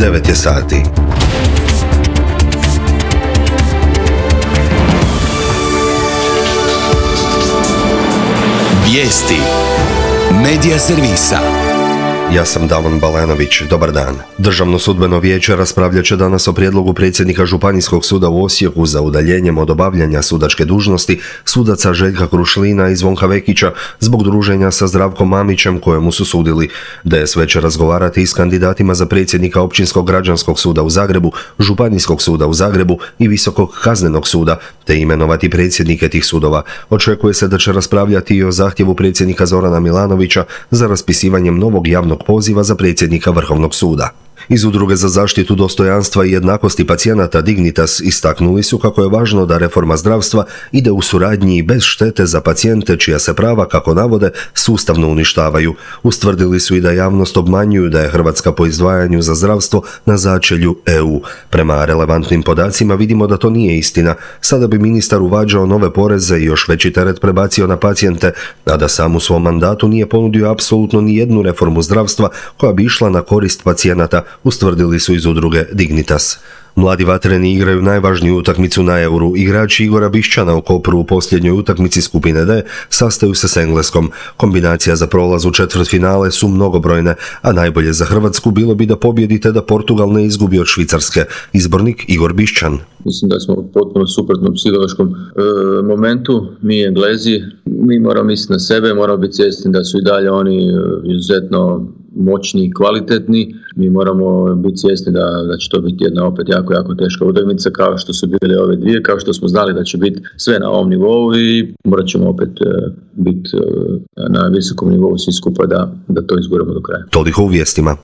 9 je sati. Vijesti Medija servisa. Ja sam Davon Balanović, dobar dan. Državno sudbeno vijeće raspravljat će danas o prijedlogu predsjednika Županijskog suda u Osijeku za udaljenjem od obavljanja sudačke dužnosti sudaca Željka Krušlina i Zvonka Vekića zbog druženja sa Zdravkom Mamićem kojemu su sudili. DSV će razgovarati i s kandidatima za predsjednika Općinskog građanskog suda u Zagrebu, Županijskog suda u Zagrebu i Visokog kaznenog suda, te imenovati predsjednike tih sudova. Očekuje se da će raspravljati i o zahtjevu predsjednika Zorana Milanovića za raspisivanjem novog javnog poziva za predsjednika Vrhovnog suda. Iz Udruge za zaštitu dostojanstva i jednakosti pacijenata Dignitas istaknuli su kako je važno da reforma zdravstva ide u suradnji i bez štete za pacijente čija se prava, kako navode, sustavno uništavaju. Ustvrdili su i da javnost obmanjuju da je Hrvatska po izdvajanju za zdravstvo na začelju EU. Prema relevantnim podacima vidimo da to nije istina. Sada bi ministar uvađao nove poreze i još veći teret prebacio na pacijente, a da sam u svom mandatu nije ponudio apsolutno ni jednu reformu zdravstva koja bi išla na korist pacijenata, ustvrdili su iz udruge Dignitas. Mladi vatreni igraju najvažniju utakmicu na Euru. Igrači Igora Bišćana u Kopru u posljednjoj utakmici skupine D sastaju se s Engleskom. Kombinacija za prolaz u četvrtfinale su mnogobrojne, a najbolje za Hrvatsku bilo bi da pobjedite da Portugal ne izgubi od Švicarske. Izbornik Igor Bišćan. Mislim da smo u potpuno suprotnom psihološkom momentu. Mi Englezi, mi moramo misliti na sebe, moramo biti svjesni da su i dalje oni izuzetno moćni i kvalitetni. Mi moramo biti svjesni da će to biti jedna opet jako teška utakmica kao što su bile ove dvije, kao što smo znali da će biti sve na ovom nivou i morat ćemo opet biti na visokom nivou svi skupa da to izguramo do kraja. Toliko u vijestima.